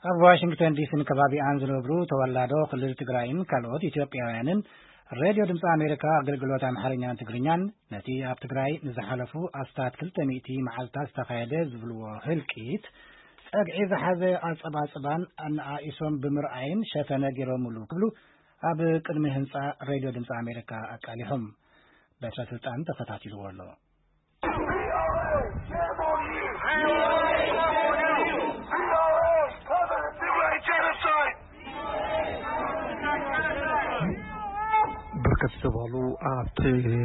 ኣብ ዋሽንግተን ዲሲን ከባቢኣን ዝነብሩ ተወላዶ ክልል ትግራይን ካልኦት ኢትዮጵያውያንን ሬድዮ ድምፂ ኣሜሪካ ኣገልግሎት ኣምሓርኛን ትግርኛን ነቲ ኣብ ትግራይ ንዝሓለፉ ኣስታት ክልተ ሚእቲ መዓልታት ዝተኻየደ ዝብልዎ ህልቂት ጸግዒ ዝሓዘ ኣጸባጽባን ኣነኣኢሶም ብምርኣይን ሸፈነ ገይሮምሉ ክብሉ ኣብ ቅድሚ ህንጻ ሬድዮ ድምፂ ኣሜሪካ ኣቃሊሖም። በትረ ስልጣን ተኸታቲልዎ ኣሎ። ብርክት ዝበሉ ኣብቲ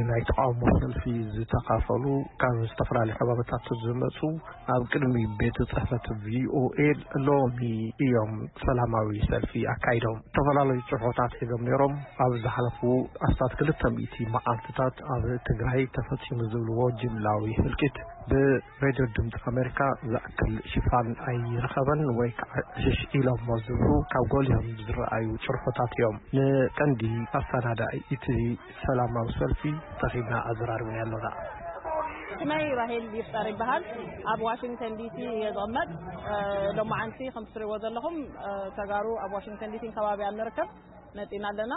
ናይ ተቃውሞ ሰልፊ ዝተኻፈሉ ካብ ዝተፈላለዩ ከባቢታት ዝመፁ ኣብ ቅድሚ ቤት ጽሕፈት ቪኦኤ ሎሚ እዮም ሰላማዊ ሰልፊ ኣካይዶም። ዝተፈላለዩ ጽሑፎታት ሒዞም ነይሮም። ኣብ ዝሓለፉ ኣስታት ክልተ ሚእቲ መዓልትታት ኣብ ትግራይ ተፈጺሙ ዝብልዎ ጅምላዊ ህልቂት ብሬድዮ ድምፂ ኣሜሪካ ዝኣክል ሽፋን ኣይረኸበን ወይ ከዓ ዕሽሽ ኢሎሞ ዝብሉ ካብ ጎሊሆም ዝረኣዩ ጭርሖታት እዮም። ንቀንዲ ኣሰናዳኢ እቲ ሰላማዊ ሰልፊ ተኺብና ኣዘራርብና ኣለና። ስመይ ራሄል ይፍጠር ይበሃል። ኣብ ዋሽንግተን ዲሲ እየ ዝቕመጥ። እ፣ ሎማዓንቲ ከም ትሪእዎ ዘለኹም፣ እ፣ ተጋሩ ኣብ ዋሽንግተን ዲሲን ከባቢኣን ንርከብ። መፂና ኣለና።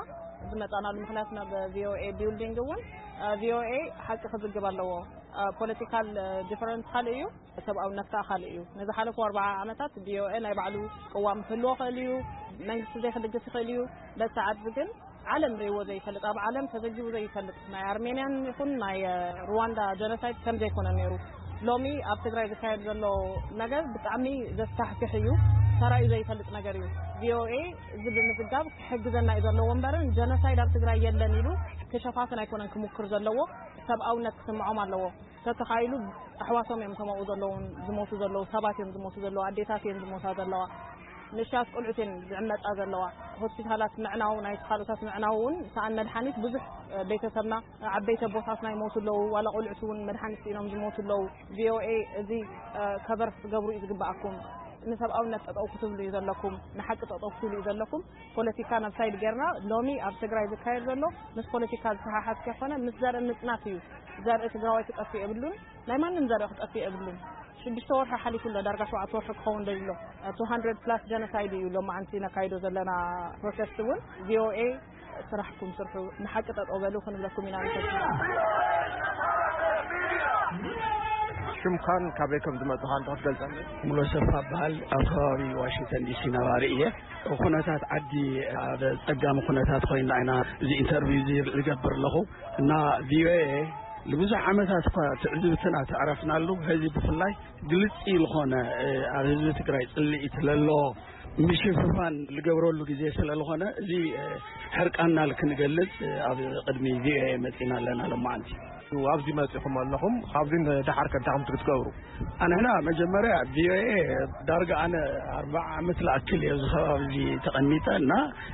ዝመፃናሉ ምኽንያት ናብ ቪኦኤ ቢልዲንግ እውን፣ እ፣ ቪኦኤ ሓቂ ክዝግብ ኣለዎ። እ፣ ፖለቲካል፣ እ፣ ዲፈረንስ ካልእ እዩ፣ ሰብኣውነት ከዓ ካልእ እዩ። ንዝሓለፉ ኣርብዓ ዓመታት ቪኦኤ ናይ ባዕሉ ቅዋም ክህልዎ ይኽእል እዩ፣ መንግስቲ ዘይክድግፍ ይኽእል እዩ። በቲ ሰዓት ግን ዓለም ርእይዎ ዘይፈልጥ፣ ኣብ ዓለም ተዘጊቡ ዘይፈልጥ፣ ናይ ኣርሜንያን ይኹን ናይ ሩዋንዳ ጀኖሳይድ ከም ዘይኮነ ነይሩ። ሎሚ ኣብ ትግራይ ዝካየድ ዘሎ ነገር ብጣዕሚ ዘስካሕክሕ እዩ። ተራእዩ ዘይፈልጥ ነገር እዩ። ቪኦኤ እዚ ብምዝጋብ ክሕግዘና እዩ ዘለዎ እምበርን ጀኖሳይድ ኣብ ትግራይ የለን ኢሉ ክሸፋፍን ኣይኮነን ክሙክር ዘለዎ። ሰብኣውነት ክስምዖም ኣለዎ። ተተኻኢሉ ኣሕዋቶም እዮም ከማኡ ዘለውን ዝሞቱ ዘለዉ፣ ሰባት እዮም ዝሞቱ ዘለዉ፣ ኣዴታት እዮም ዝሞታ ዘለዋ። ንእሽተያት ቆልዑት እየን ዝዕመጻ ዘለዋ። ሆስፒታላት ምዕናው፣ ናይ ካልኦታት ምዕናው እውን፣ ሰኣን መድሓኒት ብዙሕ፣ እ፣ ቤተሰብና፣ ዓበይቲ ኣቦታትና ይሞቱ ኣለዉ፣ ዋላ ቆልዑት እውን መድሓኒት ስኢኖም ዝሞቱ ኣለዉ። ቪኦኤ እዚ፣ እ፣ ከቨር ክትገብሩ እዩ ዝግብኣኩም። ንሰብኣውነት ጠጠው ክትብሉ እዩ ዘለኩም፣ ንሓቂ ጠጠው ክትብሉ እዩ ዘለኩም። ፖለቲካ ናብ ሳይድ ጌርና፣ ሎሚ ኣብ ትግራይ ዝካየድ ዘሎ ምስ ፖለቲካ ዝተሓሓዝ ከይኮነ፣ ምስ ዘርኢ ምጽናት እዩ። ዘርኢ ትግራዋይ ክጠፍእ የብሉን፣ ናይ ማንም ዘርኢ ክጠፍእ የብሉን። ሽዱሽተ ወርሒ ሓሊፉ ኣሎ፣ ዳርጋ ሸውዓተ ወርሒ ክኸውን ደሊሎ። ቱ ሃንድረድ ፕላስ ጀኖሳይድ እዩ ሎማዓንቲ ነካይዶ ዘለና ፕሮቴስት እውን። ቪኦኤ ስራሕኩም ስርሑ፣ ንሓቂ ጠጠው በሉ ክንብለኩም ኢና ንፈቱ። ሽምካን ካበይ ከም ዝመጽኻ እንተ ክትገልጸኒ? ሙሉ ሰፋ በሃል፣ ኣብ ከባቢ ዋሽንግተን ዲሲ ነባሪ እየ። ኩነታት ዓዲ ኣብ ጸጋሚ ኩነታት ኮይና ኢና እዚ ኢንተርቪው እዚ ዝገብር ኣለኹ። እና ቪኦኤ ንብዙሕ ዓመታት እኳ ትዕዝብትና ተዕረፍናሉ፣ ሕዚ ብፍላይ ግልጺ ዝኾነ፣ እ፣ ኣብ ህዝቢ ትግራይ ጽልኢት ለሎ ምሽፍፋን ዝገብረሉ ግዜ ስለ ዝኾነ፣ እዚ፣ እ፣ ሕርቃንና ክንገልጽ፣ እ፣ ኣብ ቅድሚ ቪኦኤ መጺና ኣለና ሎማዓንቲ። ኣብዚ መጺኹም ኣለኹም፣ ካብዚ ንደሓር ከ እንታይ ከም ክትገብሩ? ኣንሕና መጀመርያ ቪኦኤ ዳርጋ ኣነ ኣርባዓ ዓመት ዝኣክል እየ ኣብዚ ከባቢ እዚ ተቐሚጠ እና፣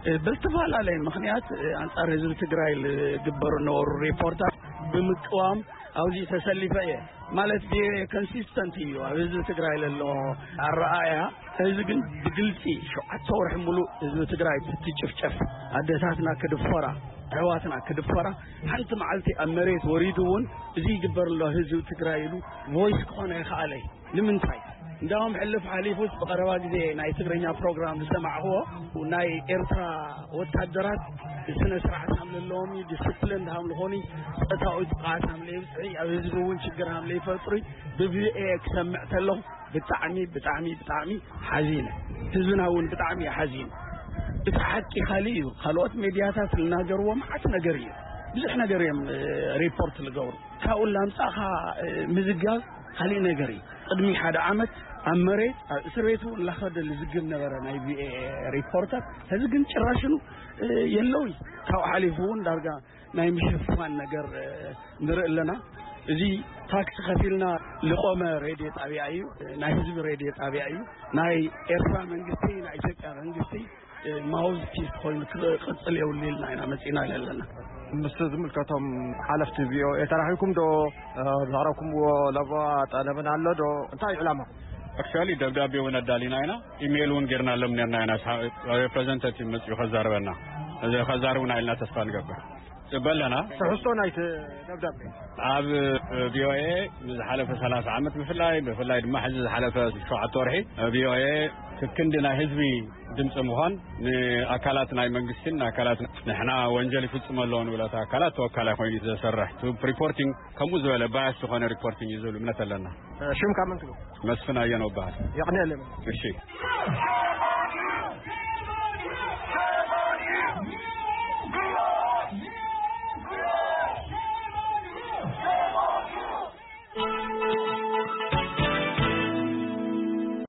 እ፣ ብዝተፈላለየ ምኽንያት፣ እ፣ ኣንጻር ህዝቢ ትግራይ ዝግበሩ ነበሩ ሪፖርታት ብምቅዋም ኣብዚ ተሰሊፈ እየ። ማለት ቪኦኤ ኮንሲስተንት እዩ ኣብ ህዝቢ ትግራይ ለሎ ኣረኣእያ። እዚ ግን ብግልፂ ሸውዓተ ወርሒ ሙሉእ ህዝቢ ትግራይ ብትጭፍጨፍ፣ ኣደታትና ክድፈራ፣ ኣሕዋትና ክድፈራ፣ ሓንቲ መዓልቲ ኣብ መሬት ወሪዱ እውን እዚ ይግበር ኣሎ ህዝቢ ትግራይ ኢሉ ቮይስ ክኾነ ይኸኣለ። ንምንታይ? እንዳውም ሕልፍ ሓሊፉስ ብቐረባ ግዜ ናይ ትግርኛ ፕሮግራም ዝሰማዕኽዎ ናይ ኤርትራ ወታደራት ስነ ስርዓት ሃም ለለዎም እዩ፣ ዲስፕሊን ሃም ልኾኑ፣ ፆታዊ ጥቕዓት ሃም ለይብፅሒ፣ ኣብ ህዝቢ እውን ችግር ሃም ለይፈጥሩ ብቪኦኤ ክሰምዕ ተለኹ ብጣዕሚ፣ ብጣዕሚ፣ ብጣዕሚ ሓዚነ። ህዝብና እውን ብጣዕሚ እዩ ሓዚኑ። እቲ ሓቂ ካሊእ እዩ። ካልኦት ሜድያታት ዝናገርዎ መዓት ነገር እዩ። ብዙሕ ነገር እዮም፣ እ፣ ሪፖርት ዝገብሩ። ካብኡ ላምጻኻ፣ እ፣ ምዝጋብ ካሊእ ነገር እዩ። ቅድሚ ሓደ ዓመት ኣብ መሬት ኣብ እስር ቤት እውን ላኸደ ልዝግብ ነበረ ናይ ቪኦኤ ሪፖርተር። ሕዚ ግን ጭራሽኑ፣ እ፣ የለውይ። ካብኡ ሓሊፉ እውን ዳርጋ ናይ ምሽፋን ነገር፣ እ፣ ንርኢ ኣለና። እዚ ታክስ ከፊልና ልቆመ ሬድዮ ጣብያ እዩ። ናይ ህዝቢ ሬድዮ ጣብያ እዩ። ናይ ኤርትራ መንግስቲ፣ ናይ ኢትዮጵያ መንግስቲ፣ እ፣ ማውዝ ፒስ ኮይኑ ክቕጽል የብሉ ኢልና ኢና መጺና ኣለና። ምስ ዝምልከቶም ሓለፍቲ ቪኦኤ ተራኺብኩም ዶ፣ እ፣ ዘቕረብኩምዎ ለበዋ ጠለብን ኣሎ ዶ? እንታይ እዩ ዕላማኹም? ኣክቹዋሊ ደብዳቤ እውን ኣዳሊና ኢና፣ ኢሜይል እውን ጌርናሎም ነርና ኢና። ሳ-፣ ሬፕሬዘንታቲቭ መጺኡ ከዛርበና፣ እዚ ከዛርቡና ኢልና ተስፋ ንገብር። በለና። ትሕዝቶ ናይቲ ደብዳቤ ኣብ ቪኦኤ ንዝሓለፈ ሰላሳ ዓመት ብፍላይ፣ ብፍላይ ድማ ሕዚ ዝሓለፈ ሸውዓተ ወርሒ ቪኦኤ ክክንዲ ናይ ህዝቢ ድምፂ ምዃን፣ ንኣካላት ናይ መንግስትን ንኣካላት ንሕና ወንጀል ይፍፅም ኣለዎ ንብለታ ኣካላት ተወካላይ ኮይኑ እዩ ዘሰርሕ። ሪፖርቲንግ ከምኡ ዝበለ ባያስ ዝኾነ ሪፖርቲንግ እዩ ዝብል እምነት ኣለና። ሽምካ መን ትብሉ? መስፍን ኣየነው በሃል። የቕንየለይ። እሺ።